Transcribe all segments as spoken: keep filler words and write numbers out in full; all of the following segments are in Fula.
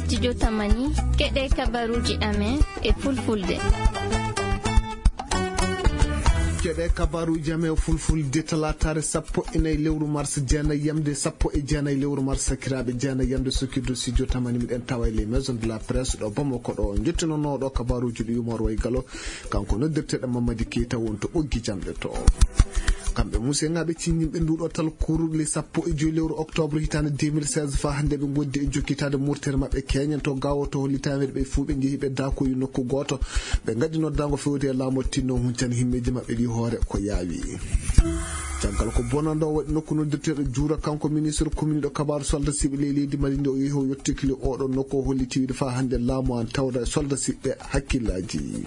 Studio Tamani, keɗe kabaruuji amen e fulfulde. Keɗe kabaruuji amen e fulfulde, talaataare sappo e nayi lewru mars, jeenayi yamde sappo e jeenayi lewru mars, sakiraaɓe, jeenayi yamde sukirdu Studio Tamani, miɗen tawa e les maisons de la presse ɗo Bamako ɗo. Jottinooɗo kabaruuji ɗi Umar Way Galo, kanko noddirteeɗo Mamadi Keita woni to ɓoggi jamɗe to. Kamɓe museŋaaɓe ciññinɓe nduɗo talkuru le sappo e joyi lewru octobre hitaande deux mille seize faa hannde ɓe ngondi e jokkitaade murtere maɓɓe keñen to gawo to holli taweede ɓe fuu ɓe njehi ɓe dakoyi nokku gooto. Ɓe ngaddi noddaango fewde e laamu tinno huncani himmeeji maɓɓe ɗi hoore ko yaawi. Caggal ko bonanɗo waɗi nokku noddirteeɗo Juura, kanko ministre commune ɗo kabaaru soldat siɓe ley leydi Mali nde o yehi o yettokili oɗo nokku o holli tiwiide faa hannde laamu an tawda e soldat siɓe hakkillaaji.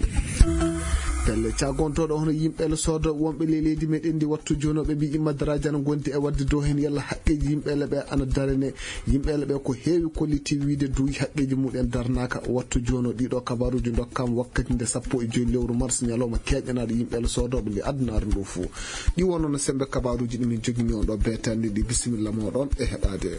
Pelle cagontooɗo hono yimɓe le soodo wonɓe ley leydi meɗen ndi wattu jooni o ɓe mbiyi madaraji ana gondi e wadde dow heen yalla haqqeeji yimɓe le ɓe ana darane. Yimɓe le ɓe ko heewi kolliti wiide duuy haqqeeji muɗen darnaaka wattu jooni o ɗiɗo kabaruuji ndokkam wakkati nde sappo e joyi lewru mars ñalawma keeƴanaaɗo yimɓe le soodooɓe nde addunaare ndu fuu. Ɗi wonno no sembe kabaruuji ɗi min jogini on ɗo beetande ɗi bisimilla moɗon e heɗaade.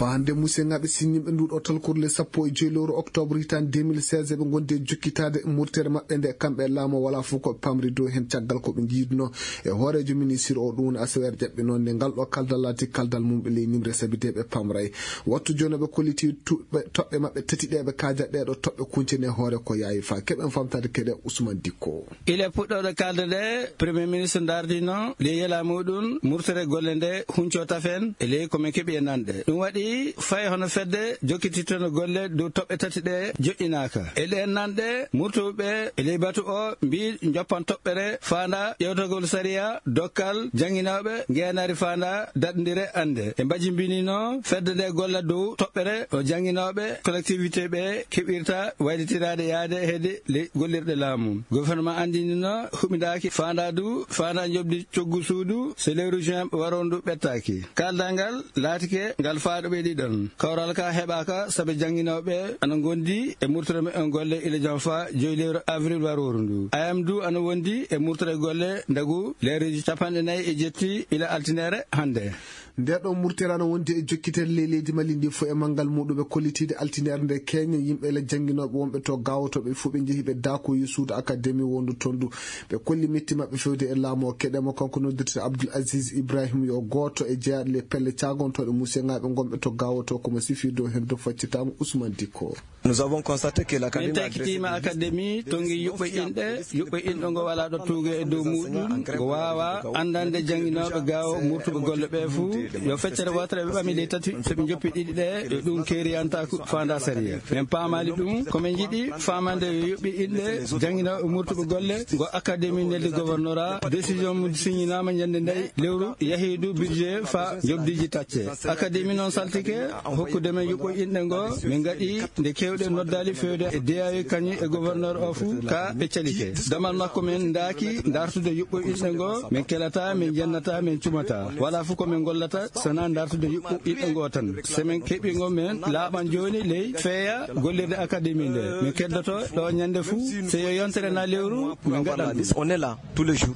Faa hannde museŋaaɓe siññinɓe nduɗo talkuru le sappo e joyi lewru octobre hitaande deux mille seize eɓe ngondi e jokkitaade murtere maɓɓe nde kamɓe e laamu wala fof ko pamri dow heen caggal ko ɓe njiiduno e hooreejo ministre o ɗum woni asaweere jaɓɓe noon nde ngal ɗo kaldal laati kaldal mum ɓe ley nimre sabi de ɓe pamray. Wattu jooni ɓe kolliti tuɓɓe toɓɓe maɓɓe tati ɗe ɓe kaajat ɗe ɗo toɓɓe kuncene hoore ko yaawi faa keɓen famtaade keɗe Ousmane Dikko. Ile puɗɗooɗo kalde nde, Premier Ministre ndaardino ley yela muɗum murtere golle nde hunco tafen e ley ko men keɓi e nanɗe. Ɗum waɗi fay hono fedde jokkititeno golle dow toɓɓe tati ɗe joƴƴinaaka. E ɗeen nanɗe, murtuɓe e ley batu o mbii joppan toɓɓere faanda ƴewtagol sariya, dokkal, jannginooɓe, ngeenaari faanda daɗndire annde. E mbajimbinino fedde nde golla dow toɓɓere o jannginooɓe collectivité ɓe keɓirta waylitiraade yaade heede le gollirɗe laamu. Gouvernement anndinino huɓindaaki faandaadu, faandaa njoɓdi coggu suudu, so lewru juin waroondu ɓettaaki. Kaaldal ngal laatike ngal faaɗo ɓe ɗiɗon. Kawral ka heɓaaka sabe jannginooɓe ana ngondi e murtoro muɓɓen golle ila jam faa joyi lewru avril warooru ndu. A M du ana wondi e murtoro golle ndagu leereeji capanɗe nayi e jetti ila altinere hannde. Nde ɗo murtere ana wondi e jokkitere ley leydi Mali ndi fof e manngal muɗum ɓe kollitiide altinere nde keeñen yimɓe le jannginooɓe wonɓe to gaawotooɓe fof ɓe njehi ɓe daakoyi suudu akademi wondu toon ndu. Ɓe kolli metti maɓɓe fewde e laamu o keɗe mo kanko noddirte Abdoul Aziz Ibrahim yo gooto e jeyaaɗo le pelle caagontooɗe museŋaaɓe ngonɓe to gaawoto komo sifi dow heen dow faccitaango Ousmane Dikko. Nous avons constaté que l'académie min a dressé takkitiima des listes akademi tongi yuɓɓo inɗe, yuɓɓo inɗo ngo walaa ɗo tuuge e dow muɗum ngo waawa anndande jannginooɓe gaawo murtuɓe golle ɓe fuu yo feccere wootere ɓe ɓami ley tati so ɓe njoppi ɗiɗi ɗe yo ɗum keeriyantaako faanda sariya. Min paamaali ɗum ko min njiɗi faamande yo yuɓɓi inɗe jannginooɓe murtuɓe golle ngo akademi neldi gouvernora décision mum signinaama ñande nayi lewru yahiidu budget faa njoɓdiiji tacce. Akademi noon saltike hokkude men yuɓɓo inɗe ngo min ngaɗi nde keewɗe noddaali fewde e D A U kañum e gouverneur o fuu ka ɓe calike. Damal makko men ndaaki dartude yuɓɓo inɗe ngo min kelata min jennata min cumata wala fof ko min gollata sana dartude yuɓɓo inɗe ngo tan. So min keɓi ngo min laaɓan jooni ley feeya gollirde akademi nde min keddoto ɗo ñande fuu so yo yontere na lewru min ngaɗan ɗum. On est là tous les jours.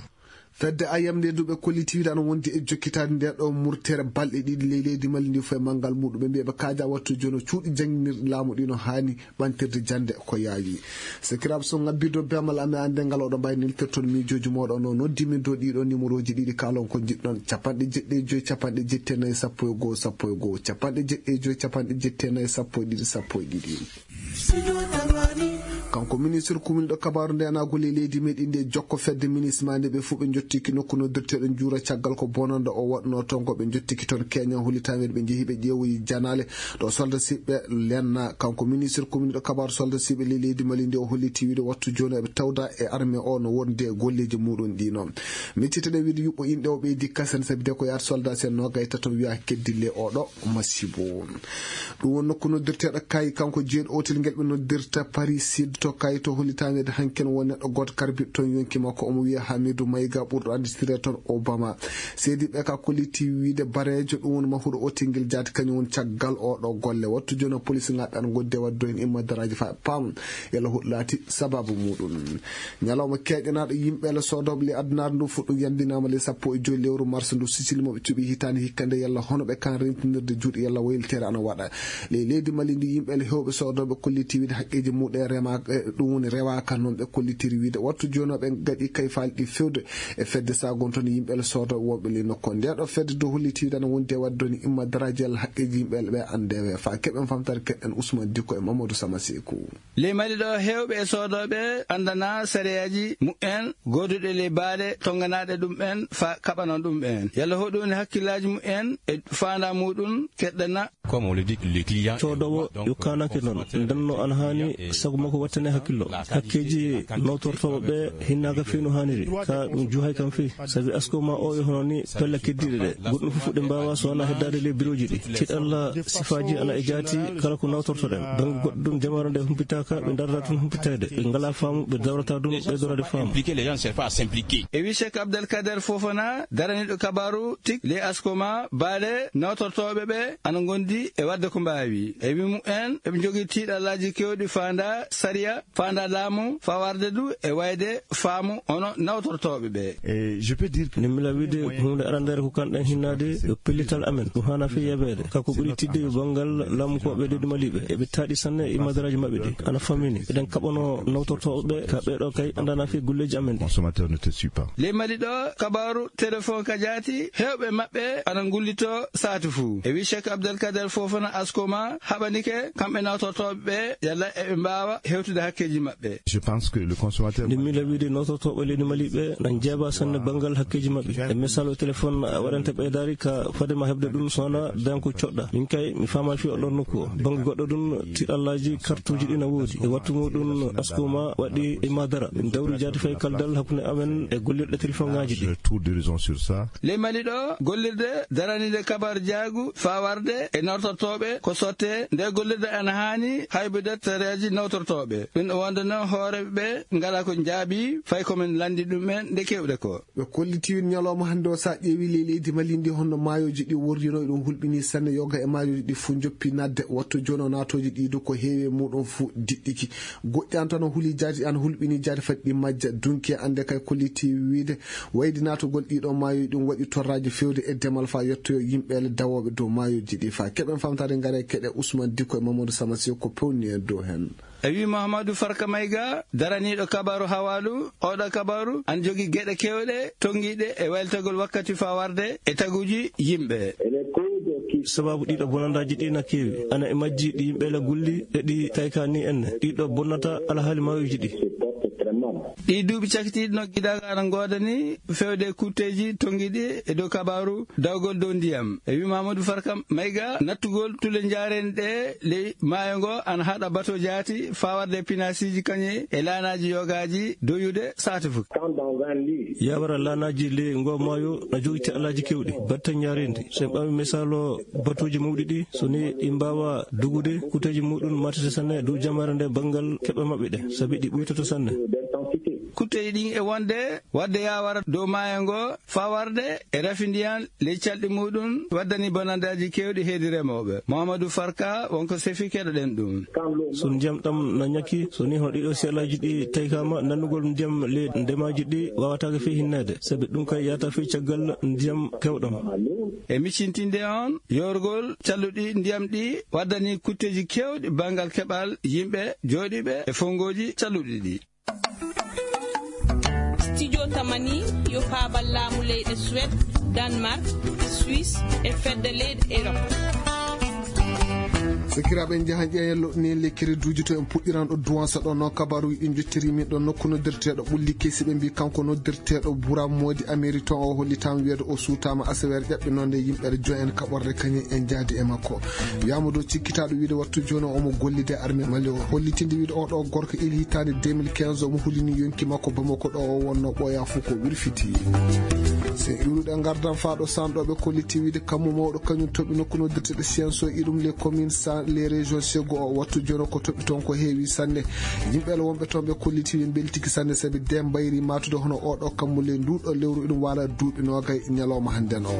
Fedde ayam nde duɓe kollitiiɗe ana wondi e jokkitaade nde ɗo murtere balɗe ɗiɗi ley leydi Mali ndi fof e manngal muɗum ɓe mbiya ɓe kaaja wattu jono cuuɗi jannginirɗi laamu ɗi no haani ɓantirde jannde ko yaawi. Sakiraaɓe so ngabbirɗo bemal amen annde ngal oɗo mbawi neltirton miijooji mooɗon o noddi min dow ɗiɗo numéroji ɗiɗi kaalon ko njiɗɗon capanɗe jeɗɗi e joyi capanɗe jetti e nayi sappo e goho sappo e goho capanɗe jeɗɗi e joyi capanɗe jetti e nayi sappo e ɗiɗi sappo e ɗiɗi. Kanko ministre kuminɗo kabaaru nde ana golle leydi meɗi nde jokko fedde ministre ma nde ɓe fof ɓe jottiki nokku noddirteɗo juura caggal ko bononɗo o waɗno toon ko ɓe jottiki toon keñan holli taweede ɓe jeehi ɓe ƴeewoyi janale ɗo solda siɓɓe lenna kanko ministre kuminɗo kabaaru solda siɓɓe le leydi mali nde o holliti wiide wattu jooni eɓe tawda e armée o no wonde golleji muɗum ɗi noon. Micciteɗen wiide yuɓɓo inɗe o ɓeydi kasen sabi de ko yaata soldat sen noga e tato wiya keddille oɗo masibo. Ɗum won nokku noddirteɗo kay kanko jeeɗo otel ngel ɓe noddirta paris sud. to kayto hollitaa wiide hanki won neɗɗo gooto karbiɗo toon yonki makko, omo wiyee Hamidu Mayga, ɓurɗo annditiree toon Obama. Seediiɓe ka kolliti wiide Bareejo, ɗum woni mahuɗo Otingel Jaati, kañum woni caggal oo ɗoo golle. Wattu jooni o, polis ngaɗɗan ngoddi e waɗde heen imma daraaji faa paam yalla huɗo laati sabaabu muuɗum. Ñalawma keeƴanaaɗo yimɓe le soodooɓe le addunaare ndu fuɗɗum yandinaama le sappo e joy lewru mars ndu, sicili mo ɓe cuɓi hitaande hikka nde, yalla hono ɓe kan rentinirde juuɗe yalla wayliteere ana waɗa. Ley leydi Mali ndi, yimɓe le heewɓe soodooɓe kolliti wiide haqqeeji muuɗum e rema-, e ɗum woni rewaaka noon ɓe kollitiri wiide. Wattu jooni o ɓe ngaɗi kay faali ɗi fewde e fedde sagonto ni yimɓe le soodooɓe wonɓe ley nokku. Nde ɗo fedde dow holliti wiide ana wondi e waɗde ni imma daraaji yalla haqqeeji yimɓe le ɓe anndewe. Faa keɓen famtare keɗen Ousmane Dikko e Mamadou Sama Seeku. Ley Mali ɗo, heewɓe e soodooɓe anndanaa sariyaaji mu'en gooduɗe ley baale tonnganaaɗe ɗum'en faa kaɓanon ɗum'en. Yalla hoɗum woni hakkillaaji mu'en e faandaa muuɗum keɗɗana. Comme on le dit, le client est roi, donc, euh, le consommateur est, est, euh, coodowo yo kaananke noon, ndenno ana haani sago makko wattane hakkillo. Hakkeeji nawtortooɓe ɓe hinnaaka fii no haaniri, ka ɗum juhay kam fii. Sabi asko ma o yo hono ni pelle keddiiɗe ɗe. Goɗɗum fof ɗe mbaawa so wonaa heddaade ley birooji ɗi. Tiɗalla sifaaji ana e jaati kala ko nawtortoɗen. Bannge goɗɗo ɗum jamaare nde humpitaaka, ɓe ndarata tun humpiteede. Ɓe ngalaa faamu, ɓe dawrata ɗum, ɓe dawrade faamu. Impliquer, les gens ne cherchent pas à s'impliquer. E wi Cheikh Abdelkader Fofana, daraniiɗo kabaaru tik ley asko ma, baale nawtortooɓe ɓe ana ngondi e waɗde ko mbaawi. E wi mumen, eɓe njogii tiiɗallaaji keewɗi faandaa sariya, faandaa laamu, fawarde du e wayde faamu hono nawtortooɓe ɓe. Et je peux dire que Nde mi la wiide huunde arandeere ko kanɗen hinnaade yo pellital amen, ɗum haana fii yabeede. Ka ko ɓuri tiiɗde yo banngal laamu ko ɓe leydi Maliiɓe, eɓe taaɗi sanne e madaraaji maɓɓe ɗi. Ana famini, eɗen kaɓanoo nawtortooɓe ɓe, ka ɓee ɗoo kay anndanaa fii golleeji amen ɗi. Consommateur ne te suit pas. Ley Mali ɗo, kabaaru téléphone ka jaati, heewɓe maɓɓe ana ngullitoo saatu fuu. E wi Cheikh Abdelkader Fofana asko ma, haɓanike kamɓe nawtortooɓe ɓe, yalla eɓe mbaawa hewtude hakkeeji maɓɓe. Je pense que le consommateur Nde mi la wiide nawtortooɓe leydi Mali ɓe na njeeba sanne banngal hakkeeji maɓɓe. E misal o téléphone a waɗante ɓeydaari ka fade ma heɓde ɗum so wonaa dañan ko coɗɗa. Min kay mi faama fii oɗon nokku o. Bannge goɗɗo ɗum tiiɗallaaji kartuuji ɗi na woodi. E wattu muuɗum asko ma waɗi e madara. Min dawri jaati fay kaldal hakkunde amen e gollirɗe téléphonŋaaji ɗi. Le tour d'horizon sur ça. Ley Mali ɗo, gollirde daraniinde kabar jaagu fawarde e nawtortooɓe ko sotte. Nde gollirde ana haani haybude tareeji nawtortooɓe. Ɗum ɗo wonde noon hooreeɓe ɓe ngalaa ko njaabii fay ko min lanndi ɗum en nde keewɗe ko. Ɓe kolliti ñalawma hannde o, so a ƴeewi ley leydi Mali ndi, honno maayooji ɗi worrino, ɗum hulɓini sanne. Yoga e maayooji ɗi fof njoppi naatde. Wattu jooni o, naatooji ɗi du ko heewi e muuɗum fof diɗɗiki. Goɗɗi an tan o huli jaati, an hulɓini jaati fadde ɗi majja. Dunki annde kay kolliti wiide wayde naatugol ɗiɗo maayooji ɗum waɗi torraaji feewde e demal faa yettoyo yimɓe le dawooɓe dow maayooji ɗi. Faa keɓen famtaade ngare keɗe Ousmane Dikko e Mamadou Sama Seeku ko pewni en dow heen. E wi Mahamadou Farka Mayga, daraniiɗo kabaaru hawaalu, oɗo kabaaru ana jogii geɗe keewɗe tonngiiɗe e waylitagol wakkati fawarde e taguuji yimɓe. Sabaabu ɗiɗo bonandaaji ɗi na keewi. Ana e majji ɗi yimɓe la gulli e ɗi tayka ni enne. Ɗiɗo bonnata alhaali maayooji ɗi. Ɗi duuɓi cakitiiɗi no gidaga ana ngoodani fewde kutteeji tonngiiɗi e dow kabaaru dawgol dow ndiyam. E wi Mamadou Farka Mayga, nattugol tule njaareendi ɗe ley maayo ngo ana haɗa bato jaati fawarde pinaasiiji kañe e laanaaji yogaaji doyude saate fof. Yawara laanaaji ley ngo maayo na jogii tiiɗallaaji keewɗi, batte njaareendi. So en ɓaami misaalu batuuji mawɗi ɗi, so ni ɗi mbaawa dogude, kutteeji muuɗum matete sanne dow jamaare nde banngal keɓe maɓɓe ɗe, sabi ɗi ɓuytoto sanne. Kutteeji ɗin e wonde waɗde yawara dow maayo ngo, fawarde e rafi ndiyan ley calɗi muuɗum, waddani bonandaaji keewɗi heedi remooɓe. Mamadou Farka, wonko sefi, keɗoɗen ɗum. So ndiyam ɗam na ñakki, so ni hono ɗiɗo siyalaaji ɗi taykaama, nannugol ndiyam ley ndemaaji ɗi waawataake fii hinneede, sabi ɗum kay yahata fii caggal ndiyam keewɗam. E miccintinde on, yoorgol calluɗi ndiyam ɗi waddani kutteeji keewɗi banngal keɓal yimɓe jooɗiiɓe e fongooji calluɗi ɗi. Studio Tamani yo faabal laamu leyɗe Suède, Danemark, Suisse e fedde leyɗe Europe. Sakiraaɓe, en njahan ƴeewen loɗɗini lekkere duuji to en puɗɗiran ɗo Duwansa ɗo. Noon kabaaruuji ɗi njottirii min ɗo, nokku noddirteeɗo Ɓulli Kesi, ɓe mbii kanko noddirteeɗo Bura Moodi Amériton o hollitaama wiyeede o suutaama asaweere ƴaɓɓinoonde yimɓere jo'en kaɓorde kañum en njaadi e makko. Wiyaama dow cikkitaaɗo wiide wattu jooni o omo gollida e armée Mali o. Hollitinde wiide oo ɗoo gorko ili hitaande deux mille quinze omo hulini yonki makko Bamako ɗo o wonnoo ɓooyaa fof ko wirfiti. So en iwrude e ngardan faa ɗo Saan ɗo ɓe kolliti wiide kammu mawɗo kañum toɓi nokku noddirteeɗo Sienso e ɗum les communes Sans les régions sego o wattu jono ko toɓɓi toon ko heewi sanne. Yimɓe ala wonɓe toon ɓe kolliti ɓe mbeltiki sanne sabi de mbayri matude hono oɗo kammu ley nduɗo lewru iɗum wala duuɓi nogay ñalawma hannden o.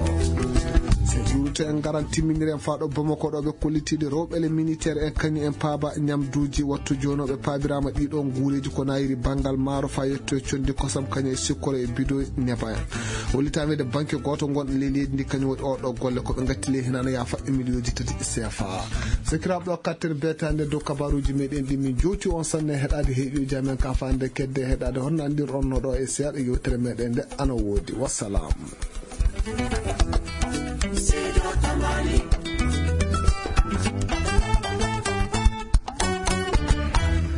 So juurute en ngaran timminire en faaɗo Bamako ɗo ɓe kollitiiɗe rewɓe le militaire en kañum en paaba ñamduuji wattu jono ɓe paabiraama ɗiɗo nguureeji ko nayiri banngal maaro faa yetto e conndi kosam kañum e sikkoro e bido neba en. Hollitaama de banque gooto ngon ley leydi ndi kañum waɗi oɗo golle ko ɓe ngatti ley hinana yaafa e miliyooji tati sefa. Sakiraaɓe ɗo kattere beetaande dow kabaruuji meɗen ɗi min jowti on sanne heɗaade heeƴuuji amen ka faande kedde heɗaade honno anndir on no ɗo e seeɗa yewtere meɗen nde ana woodi. Wassalam.